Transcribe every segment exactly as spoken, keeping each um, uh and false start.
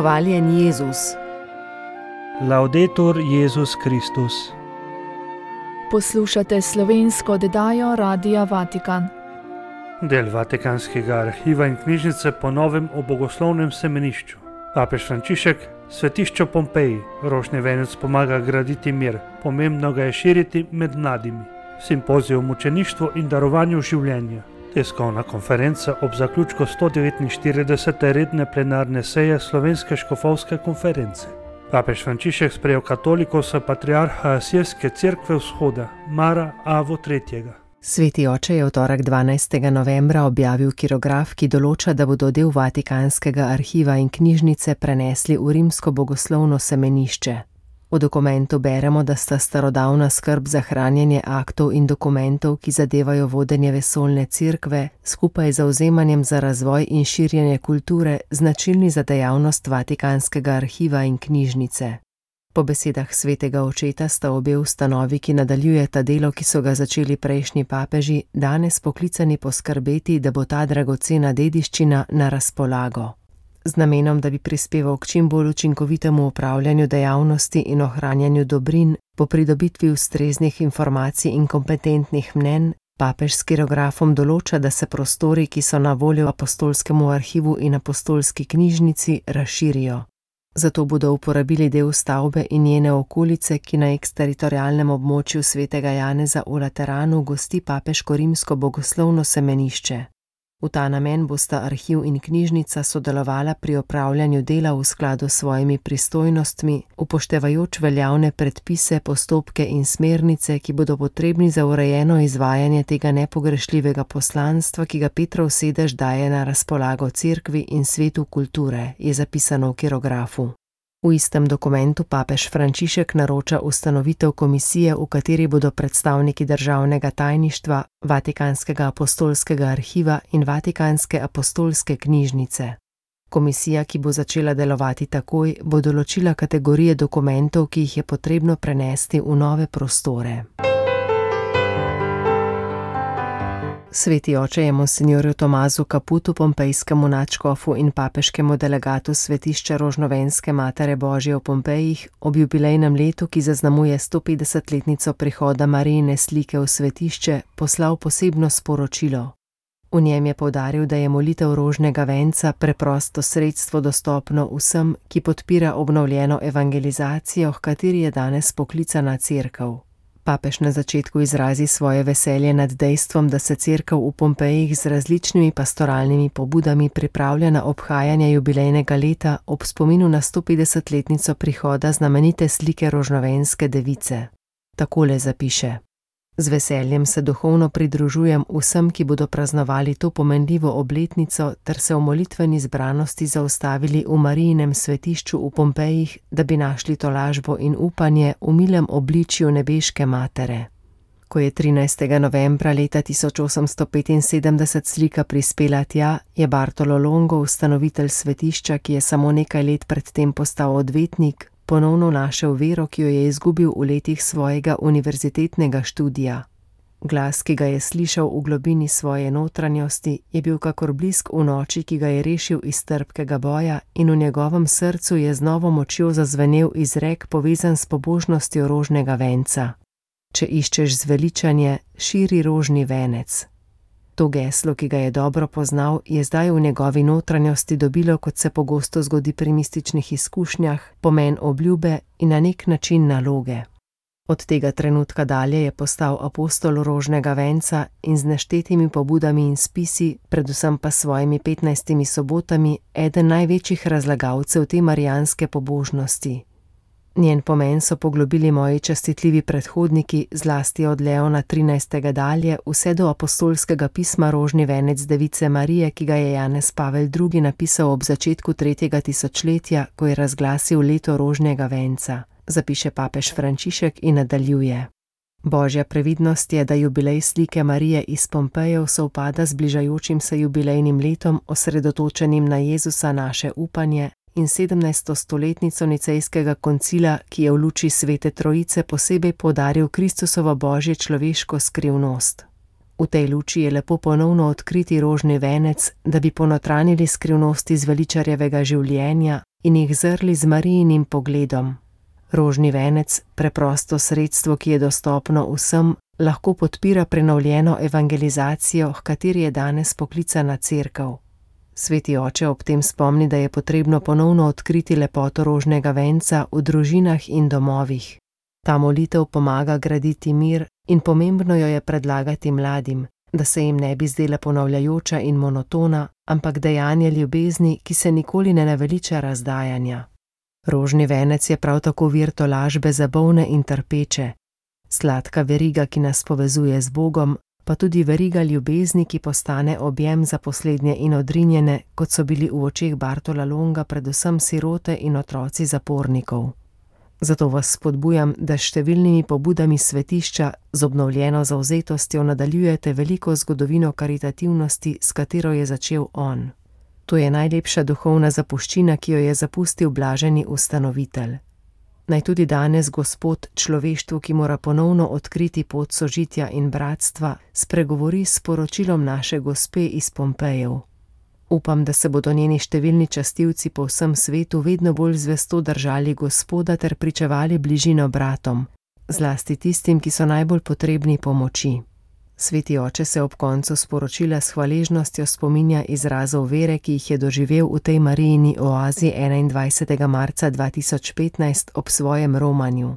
Hvaljen Jezus. Laudetur Jezus Kristus. Poslušate slovensko oddajo Radia Vatikan. Del Vatikanskega arhiva in knjižnice po novem o bogoslovnem semenišču. Papež Frančišek, svetišče v Pompeji, rožni venec pomaga graditi mir, pomembno ga je širiti med mladimi. Simpozij o mučeništvu in darovanju življenja. Tiskovna konferenca ob zaključku sto devetinštiridesete redne plenarne seje Slovenske škofovske konference. Papež Frančišek sprejel katolikov s patriarha Asirske cerkve vzhoda, Mara Avo tretjega. Sveti oče je v torek dvanajstega novembra objavil kirograf, ki določa, da bodo del Vatikanskega arhiva in knjižnice prenesli v rimsko bogoslovno semenišče. V dokumentu beremo, da sta starodavna skrb za hranjenje aktov in dokumentov, ki zadevajo vodenje vesoljne cerkve, skupaj z zavzemanjem za razvoj in širjenje kulture, značilni za dejavnost Vatikanskega arhiva in knjižnice. Po besedah svetega očeta sta obe ustanovi, ki nadaljujeta delo, ki so ga začeli prejšnji papeži, danes poklicani poskrbeti, da bo ta dragocena dediščina na razpolago. Z namenom, da bi prispeval k čim bolj učinkovitemu upravljanju dejavnosti in ohranjanju dobrin, po pridobitvi ustreznih informacij in kompetentnih mnenj, papež s kirografom določa, da se prostori, ki so na voljo apostolskemu arhivu in apostolski knjižnici, razširijo. Zato bodo uporabili del stavbe in njene okolice, ki na eksteritorialnem območju svetega Janeza v Lateranu gosti papeško rimsko bogoslovno semenišče. V ta namen bosta arhiv in knjižnica sodelovala pri opravljanju dela v skladu s svojimi pristojnostmi, upoštevajoč veljavne predpise, postopke in smernice, ki bodo potrebni za urejeno izvajanje tega nepogrešljivega poslanstva, ki ga Petrov sedež daje na razpolago cerkvi in svetu kulture, je zapisano v kirografu. V istem dokumentu papež Frančišek naroča ustanovitev komisije, v kateri bodo predstavniki državnega tajništva, Vatikanskega apostolskega arhiva in Vatikanske apostolske knjižnice. Komisija, ki bo začela delovati takoj, bo določila kategorije dokumentov, ki jih je potrebno prenesti v nove prostore. Sveti oče je monsinjorju Tomazu Caputu, pompejskemu nadškofu in papeškemu delegatu svetišča Rožnovenske Matere Božje v Pompejih, ob jubilejnem letu, ki zaznamuje stopetdesetletnico prihoda Marijine slike v svetišče, poslal posebno sporočilo. V njem je poudaril, da je molitev rožnega venca preprosto sredstvo dostopno vsem, ki podpira obnovljeno evangelizacijo, h kateri je danes poklicana cerkev. Papež na začetku izrazi svoje veselje nad dejstvom, da se cerkev v Pompejih z različnimi pastoralnimi pobudami pripravlja na obhajanje jubilejnega leta ob spominu na stopetdesetletnico prihoda znamenite slike Rožnovenske device. Takole zapiše: Z veseljem se duhovno pridružujem vsem, ki bodo praznovali to pomenljivo obletnico ter se v molitveni zbranosti zaustavili v Marijinem svetišču v Pompejih, da bi našli tolažbo in upanje v milem obličju nebeške matere. Ko je trinajstega novembra leta tisoč osemsto petinsedemdeset slika prispela tja, je Bartolo Longo, ustanovitelj svetišča, ki je samo nekaj let predtem postal odvetnik, ponovno našel vero, ki jo je izgubil v letih svojega univerzitetnega študija. Glas, ki ga je slišal v globini svoje notranjosti, je bil kakor blisk v noči, ki ga je rešil iz trpkega boja, in v njegovem srcu je z novo močjo zazvenel izrek, povezan s pobožnostjo rožnega venca. Če iščeš zveličanje, širi rožni venec. To geslo, ki ga je dobro poznal, je zdaj v njegovi notranjosti dobilo, kot se pogosto zgodi pri mističnih izkušnjah, pomen obljube in na nek način naloge. Od tega trenutka dalje je postal apostol rožnega venca in z neštetimi pobudami in spisi, predvsem pa svojimi petnajstimi sobotami, eden največjih razlagalcev te marijanske pobožnosti. Njen pomen so poglobili moji častitljivi predhodniki, zlasti od Leona trinajstega dalje, vse do apostolskega pisma Rožni venec device Marije, ki ga je Janez Pavel drugi napisal ob začetku tretjega tisočletja, ko je razglasil leto rožnega venca, zapiše papež Frančišek in nadaljuje. Božja previdnost je, da jubilej slike Marije iz Pompejev sovpada z bližajočim se jubilejnim letom, osredotočenim na Jezusa naše upanje, in sedemnajsto stoletnico Nicejskega koncila, ki je v luči Svete Trojice posebej poudaril Kristusovo božje človeško skrivnost. V tej luči je lepo ponovno odkriti rožni venec, da bi ponotranili skrivnosti zveličarjevega življenja, in jih zrli z Marijinim pogledom. Rožni venec, preprosto sredstvo, ki je dostopno vsem, lahko podpira prenovljeno evangelizacijo, h kateri je danes poklicana cerkev. Sveti oče ob tem spomni, da je potrebno ponovno odkriti lepoto rožnega venca v družinah in domovih. Ta molitev pomaga graditi mir in pomembno jo je predlagati mladim, da se jim ne bi zdela ponavljajoča in monotona, ampak dejanje ljubezni, ki se nikoli ne naveliča razdajanja. Rožni venec je prav tako vir tolažbe za bolne in trpeče, sladka veriga, ki nas povezuje z Bogom, pa tudi veriga ljubezni, ki postane objem za poslednje in odrinjene, kot so bili v očeh Bartola Longa predvsem sirote in otroci zapornikov. Zato vas spodbujam, da s številnimi pobudami svetišča z obnovljeno zavzetostjo nadaljujete veliko zgodovino karitativnosti, s katero je začel on. To je najlepša duhovna zapuščina, ki jo je zapustil blaženi ustanovitelj. Naj tudi danes Gospod človeštvu, ki mora ponovno odkriti pot sožitja in bratstva, spregovori s sporočilom naše Gospe iz Pompejev. Upam, da se bodo njeni številni častilci po vsem svetu vedno bolj zvesto držali Gospoda ter pričevali bližino bratom, zlasti tistim, ki so najbolj potrebni pomoči. Sveti oče se ob koncu sporočila s hvaležnostjo spominja izrazov vere, ki jih je doživel v tej Marijini oazi enaindvajsetega marca dva tisoč petnajst ob svojem romanju.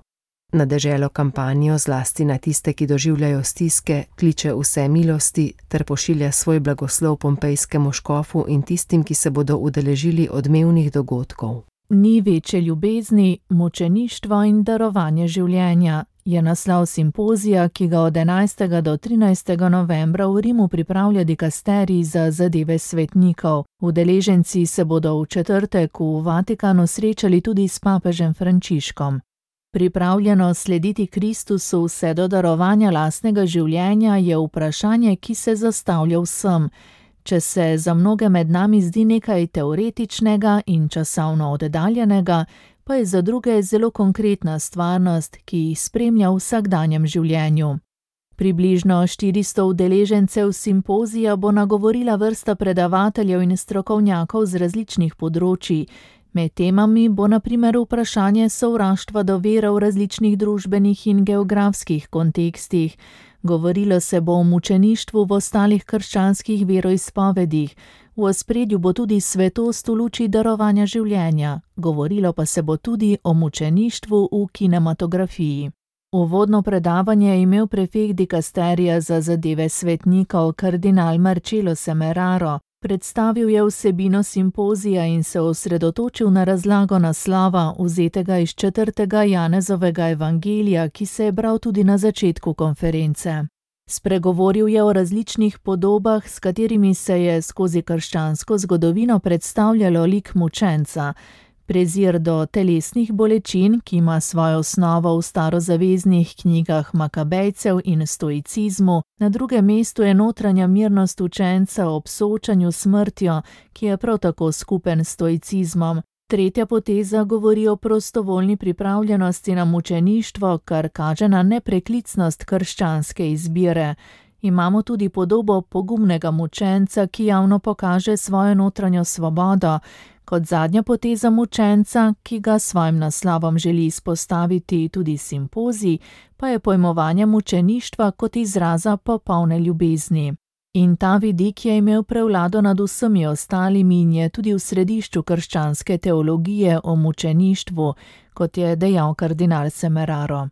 Na deželo kampanjo, zlasti na tiste, ki doživljajo stiske, kliče vse milosti ter pošilja svoj blagoslov pompejskemu škofu in tistim, ki se bodo udeležili odmevnih dogodkov. Ni večje ljubezni, mučeništvo in darovanje življenja je naslov simpozija, ki ga od enajstega do trinajstega novembra v Rimu pripravlja dikasterij za zadeve svetnikov. Udeleženci se bodo v četrtek v Vatikanu srečali tudi s papežem Frančiškom. Pripravljeno slediti Kristusu vse do darovanja lastnega življenja je vprašanje, ki se zastavlja vsem. Če se za mnoge med nami zdi nekaj teoretičnega in časovno oddaljenega, pa je za druge zelo konkretna stvarnost, ki jih spremlja v vsakdanjem življenju. Približno štiristo udeležencev simpozija bo nagovorila vrsta predavateljev in strokovnjakov z različnih področij. Med temami bo na primer vprašanje sovraštva do vere v različnih družbenih in geografskih kontekstih. Govorilo se bo o mučeništvu v ostalih krščanskih veroizpovedih. V ospredju bo tudi svetost v luči darovanja življenja. Govorilo pa se bo tudi o mučeništvu v kinematografiji. Uvodno predavanje je imel prefekt dikasterija za zadeve svetnikov kardinal Marcello Semeraro. Predstavil je vsebino simpozija in se osredotočil na razlago naslova, vzetega iz četrtega Janezovega evangelija, ki se je bral tudi na začetku konference. Spregovoril je o različnih podobah, s katerimi se je skozi krščansko zgodovino predstavljalo lik mučenca. Prezir do telesnih bolečin, ki ima svojo osnovo v starozaveznih knjigah Makabejcev in stoicizmu, na drugem mestu je notranja mirnost učenca ob soočanju s smrtjo, ki je prav tako skupen stoicizmom. Tretja poteza govori o prostovoljni pripravljenosti na mučeništvo, kar kaže na nepreklicnost krščanske izbire. Imamo tudi podobo pogumnega mučenca, ki javno pokaže svojo notranjo svobodo. Kot zadnja poteza mučenca, ki ga svojim naslovom želi izpostaviti tudi simpozij, pa je pojmovanje mučeništva kot izraza popolne ljubezni. In ta vidik je imel prevlado nad vsemi ostalimi in je tudi v središču krščanske teologije o mučeništvu, kot je dejal kardinal Semeraro.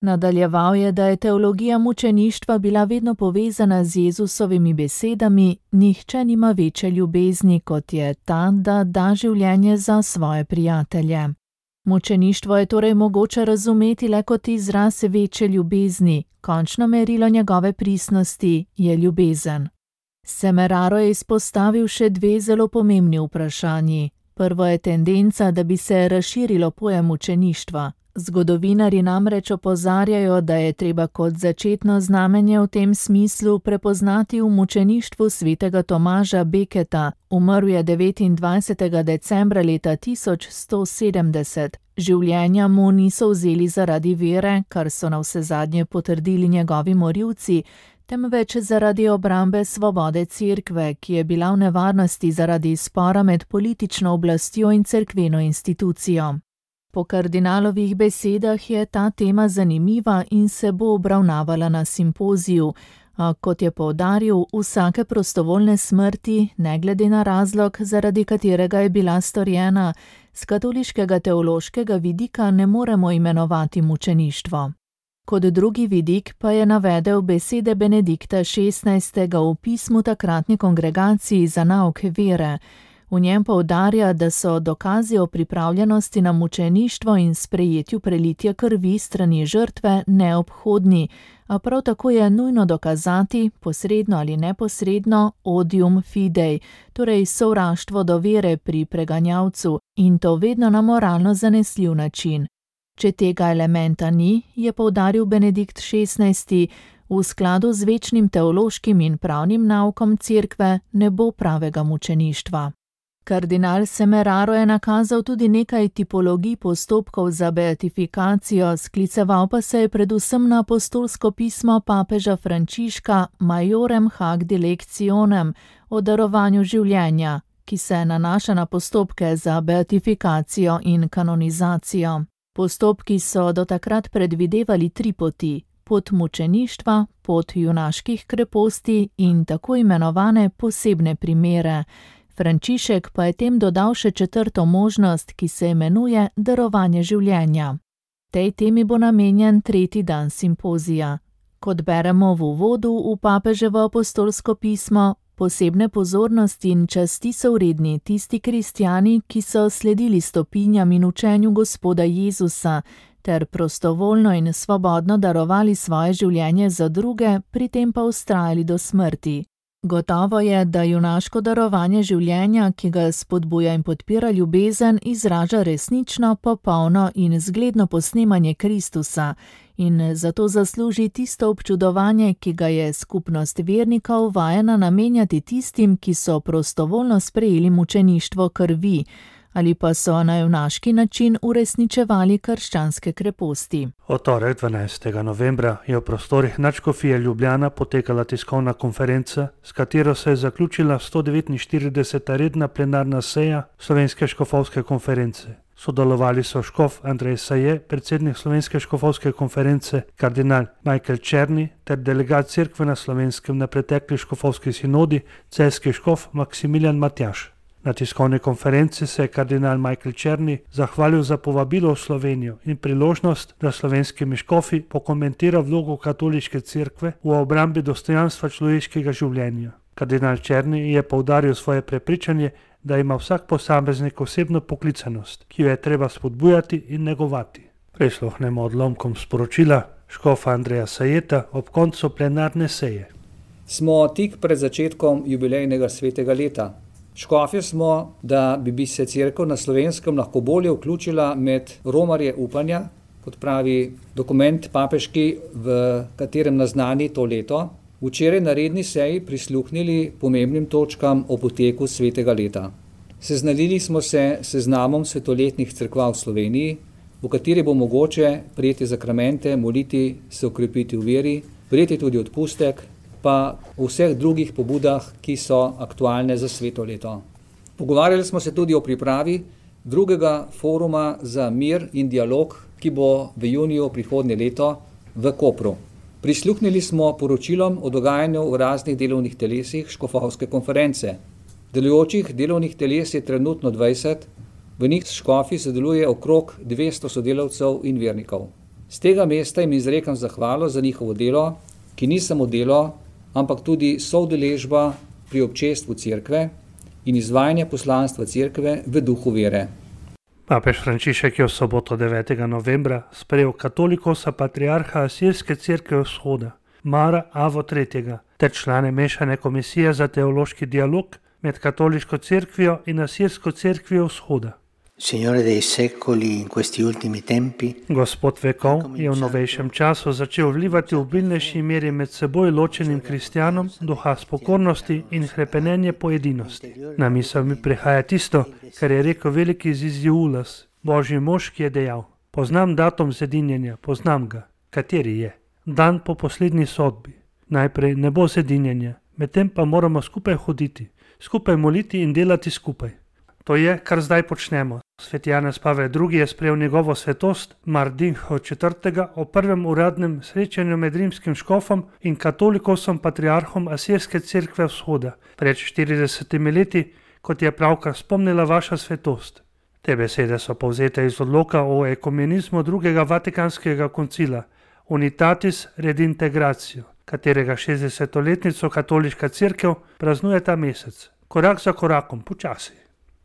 Nadaljeval je, da je teologija mučeništva bila vedno povezana z Jezusovimi besedami: nihče nima večje ljubezni, kot je ta, da da življenje za svoje prijatelje. Mučeništvo je torej mogoče razumeti le kot izraz večje ljubezni, končno merilo njegove pristnosti je ljubezen. Semeraro je izpostavil še dve zelo pomembni vprašanji. Prvo je tendenca, da bi se razširilo pojem mučeništva. Zgodovinarji namreč opozarjajo, da je treba kot začetno znamenje v tem smislu prepoznati v mučeništvu svetega Tomaža Beketa. Umrl je devetindvajsetega decembra leta tisoč sto sedemdeset. Življenja mu niso vzeli zaradi vere, kar so navsezadnje potrdili njegovi morilci, temveč zaradi obrambe svobode cerkve, ki je bila v nevarnosti zaradi spora med politično oblastjo in cerkveno institucijo. Po kardinalovih besedah je ta tema zanimiva in se bo obravnavala na simpoziju, a kot je poudaril, vsake prostovoljne smrti, ne glede na razlog, zaradi katerega je bila storjena, z katoliškega teološkega vidika ne moremo imenovati mučeništvo. Kot drugi vidik pa je navedel besede Benedikta šestnajstega v pismu takratni kongregaciji za nauk vere. V njem poudarja, da so dokazi o pripravljenosti na mučeništvo in sprejetju prelitja krvi strani žrtve neobhodni, a prav tako je nujno dokazati, posredno ali neposredno, odium fidei, torej sovraštvo do vere pri preganjavcu, in to vedno na moralno zanesljiv način. Če tega elementa ni, je poudaril Benedikt šestnajsti, v skladu z večnim teološkim in pravnim naukom cerkve ne bo pravega mučeništva. Kardinal Semeraro je nakazal tudi nekaj tipologij postopkov za beatifikacijo, skliceval pa se je predvsem na apostolsko pismo papeža Frančiška Majorem hac dilectionem o darovanju življenja, ki se nanaša na postopke za beatifikacijo in kanonizacijo. Postopki so do takrat predvidevali tri poti: pot mučeništva, pot junaških kreposti in tako imenovane posebne primere. Frančišek pa je tem dodal še četrto možnost, ki se imenuje darovanje življenja. Tej temi bo namenjen tretji dan simpozija. Kot beremo v uvodu v papeževo apostolsko pismo, posebne pozornosti in časti so vredni tisti kristjani, ki so sledili stopinjam in učenju Gospoda Jezusa, ter prostovoljno in svobodno darovali svoje življenje za druge, pri tem pa vztrajali do smrti. Gotovo je, da junaško darovanje življenja, ki ga spodbuja in podpira ljubezen, izraža resnično, popolno in zgledno posnemanje Kristusa in zato zasluži tisto občudovanje, ki ga je skupnost vernikov vajena namenjati tistim, ki so prostovoljno sprejeli mučeništvo krvi ali pa so na junaški način uresničevali krščanske kreposti. V torek dvanajstega novembra je v prostorih Nadškofije Ljubljana potekala tiskovna konferenca, s katero se je zaključila sto devetinštirideseta redna plenarna seja Slovenske škofovske konference. Sodelovali so škof Andrej Saje, predsednik Slovenske škofovske konference, kardinal Michael Černi ter delegat cerkve na Slovenskem na pretekli škofovski sinodi, celjski škof Maksimilijan Matjaž. Na tiskovni konferenci se je kardinal Michael Černi zahvalil za povabilo v Slovenijo in priložnost, da slovenskimi škofi pokomentira vlogo katoliške cerkve v obrambi dostojanstva človeškega življenja. Kardinal Černi je poudaril svoje prepričanje, da ima vsak posameznik osebno poklicanost, ki jo je treba spodbujati in negovati. Prisluhnemo odlomkom sporočila škofa Andreja Sajeta ob koncu plenarne seje. Smo tik pred začetkom jubilejnega svetega leta. Škofje smo, da bi, bi se cerkev na Slovenskem lahko bolje vključila med romarje upanja, kot pravi dokument papeški, v katerem naznani to leto, včeraj na redni seji prisluhnili pomembnim točkam o poteku svetega leta. Seznanili smo se s seznamom svetoletnih cerkva v Sloveniji, v kateri bo mogoče prejeti zakramente, moliti, se okrepiti v veri, prejeti tudi odpustek, pa o vseh drugih pobudah, ki so aktualne za sveto leto. Pogovarjali smo se tudi o pripravi drugega foruma za mir in dialog, ki bo v juniju prihodnje leto v Kopru. Prisluhnili smo poročilom o dogajanju v raznih delovnih telesih škofovske konference. Delujočih delovnih teles je trenutno dvajset, v njih škofi sodeluje okrog dvesto sodelavcev in vernikov. Z tega mesta jim izrekam zahvalo za njihovo delo, ki ni samo delo, ampak tudi soudeležba pri občestvu cerkve in izvajanje poslanstva cerkve v duhu vere. Papež Frančišek je v soboto devetega novembra sprejel katolikosa patriarha Asirske cerkve vzhoda, Mara Avo tretjega, ter člane mešane komisije za teološki dialog med katoliško cerkvijo in Asirsko cerkvijo vzhoda. Signore dei secoli in questi ultimi tempi. Gospod vekov je v novejšem času začel vlivati v obilnejši meri med seboj ločenim kristjanom duha spokornosti in hrepenenje po edinosti. Na misel mi prihaja tisto, kar je rekel veliki Ziziulas, božji mož, ki je dejal: poznam datum zedinjenja, poznam ga. Kateri je? Dan po poslednji sodbi. Najprej ne bo zedinjenja, medtem pa moramo skupaj hoditi, skupaj moliti in delati skupaj. To je, kar zdaj počnemo. Sveti Janez Pavel drugi je sprejel njegovo svetost Martinho četrtega o prvem uradnem srečanju med rimskim škofom in katolikosom patriarhom Asirske cerkve vzhoda pred štiridesetimi leti, kot je pravkar spomnila vaša svetost. Te besede so povzete iz odloka o ekumenizmu drugega vatikanskega koncila Unitatis Redintegratio, katerega šestdesetletnico katoliška cerkev praznuje ta mesec. Korak za korakom, počasi.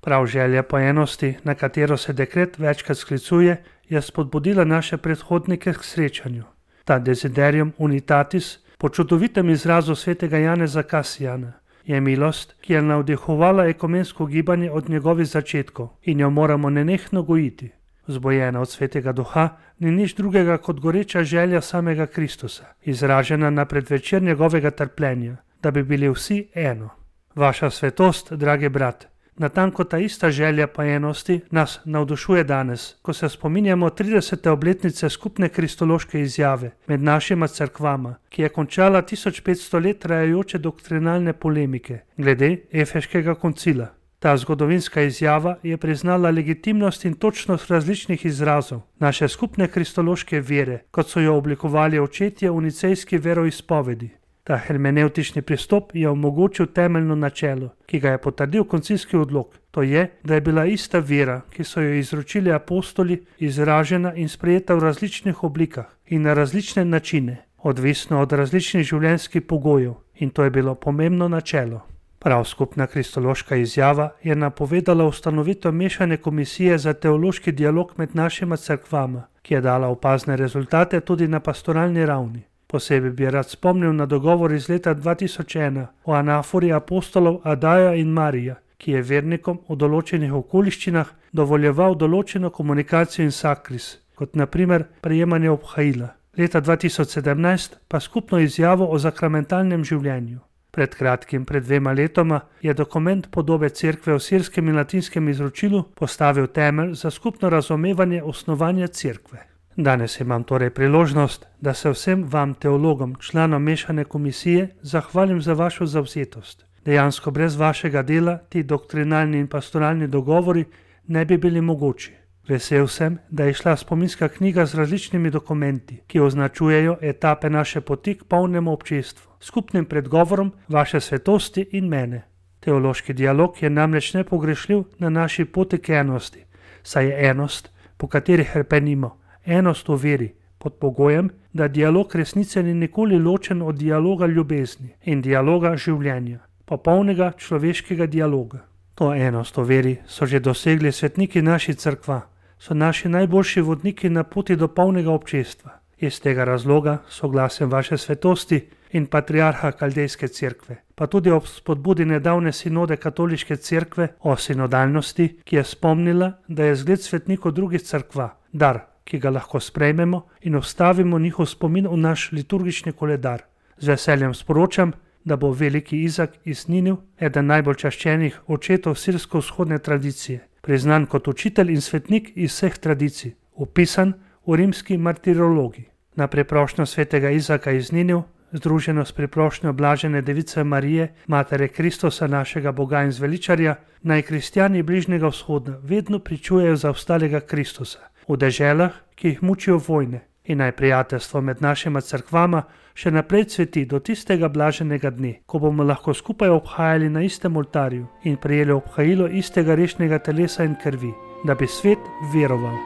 Prav želja po enosti, na katero se dekret večkrat sklicuje, je spodbudila naše predhodnike k srečanju. Ta desiderium unitatis, po čudovitem izrazu svetega Janeza Kasijana, je milost, ki je navdihovala ekumensko gibanje od njegovih začetkov in jo moramo nenehno gojiti. Vzbojena od svetega duha ni nič drugega kot goreča želja samega Kristusa, izražena na predvečer njegovega trpljenja, da bi bili vsi eno. Vaša svetost, dragi brat, natanko ta ista želja po enosti nas navdušuje danes, ko se spominjamo tridesete obletnice skupne kristološke izjave med našima cerkvama, ki je končala tisoč petsto let trajajoče doktrinalne polemike glede Efeškega koncila. Ta zgodovinska izjava je priznala legitimnost in točnost različnih izrazov naše skupne kristološke vere, kot so jo oblikovali očetje v nicejski veroizpovedi. Ta hermenevtični pristop je omogočil temeljno načelo, ki ga je potrdil koncilski odlok, to je, da je bila ista vera, ki so jo izročili apostoli, izražena in sprejeta v različnih oblikah in na različne načine, odvisno od različnih življenjskih pogojev, in to je bilo pomembno načelo. Prav skupna kristološka izjava je napovedala ustanovitev mešane komisije za teološki dialog med našima cerkvama, ki je dala opazne rezultate tudi na pastoralni ravni. Posebej bi rad spomnil na dogovor iz leta dva tisoč ena o anafori apostolov Adaja in Marija, ki je vernikom v določenih okoliščinah dovoljeval določeno komunikacijo in sakris, kot na primer prejemanje obhajila. Leta dva tisoč sedemnajst pa skupno izjavo o sakramentalnem življenju. Pred kratkim, pred dvema letoma, je dokument podobe cerkve v sirskem in latinskem izročilu postavil temelj za skupno razumevanje osnovanja cerkve. Danes imam torej priložnost, da se vsem vam, teologom, članom mešane komisije, zahvalim za vašo zavzetost. Dejansko brez vašega dela ti doktrinalni in pastoralni dogovori ne bi bili mogoči. Vesel sem, da je šla spominska knjiga z različnimi dokumenti, ki označujejo etape naše poti k polnemu občestvu, skupnim predgovorom vaše svetosti in mene. Teološki dialog je namreč nepogrešljiv na naši poti k enosti, saj je enost, po kateri hrepenimo, enost v veri, pod pogojem, da dialog resnice ni nikoli ločen od dialoga ljubezni in dialoga življenja, popolnega človeškega dialoga. To enost v veri so že dosegli svetniki naši cerkva, so naši najboljši vodniki na poti do polnega občestva. Iz tega razloga soglasjem vaše svetosti in patriarha Kaldejske cerkve, pa tudi ob spodbudi nedavne sinode katoliške cerkve o sinodalnosti, ki je spomnila, da je zgled svetnikov drugih cerkva, dar, ki ga lahko sprejmemo in vstavimo njihov spomin v naš liturgični koledar. Z veseljem sporočam, da bo veliki Izak iz Niniv, eden najbolj čaščenih očetov sirsko-vzhodne tradicije, priznan kot učitelj in svetnik iz vseh tradicij, vpisan v rimski martirologi. Na priprošnjo svetega Izaka iz Niniv, združeno s priprošnjo blažene device Marije, matere Kristusa, našega Boga in zveličarja, naj kristjani bližnjega vzhoda vedno pričujejo za ostalega Kristusa v deželah, ki jih mučijo vojne, in naj prijateljstvo med našima cerkvama še naprej cveti do tistega blaženega dne, ko bomo lahko skupaj obhajali na istem oltarju in prejeli obhajilo istega rešnega telesa in krvi, da bi svet veroval.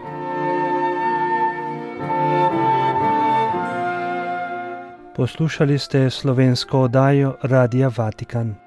Poslušali ste slovensko oddajo Radia Vatikan.